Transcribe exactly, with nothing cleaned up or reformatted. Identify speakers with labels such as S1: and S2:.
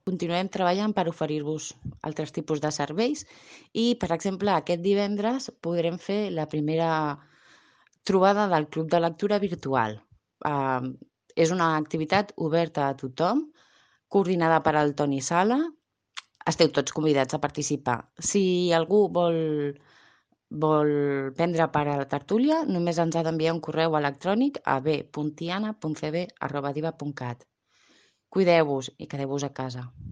S1: Continuem treballant per oferir-vos altres tipus de serveis i, per exemple, aquest divendres podrem fer la primera trobada del club de lectura virtual. Uh, és una activitat oberta a tothom, coordinada per el Toni Sala. Esteu tots convidats a participar. Si algú vol, vol prendre part a la tertúlia, només ens ha d'enviar un correu electrònic a b punt tiana punt c b arroba diva punt cat. Cuideu-vos i quedeu-vos a casa.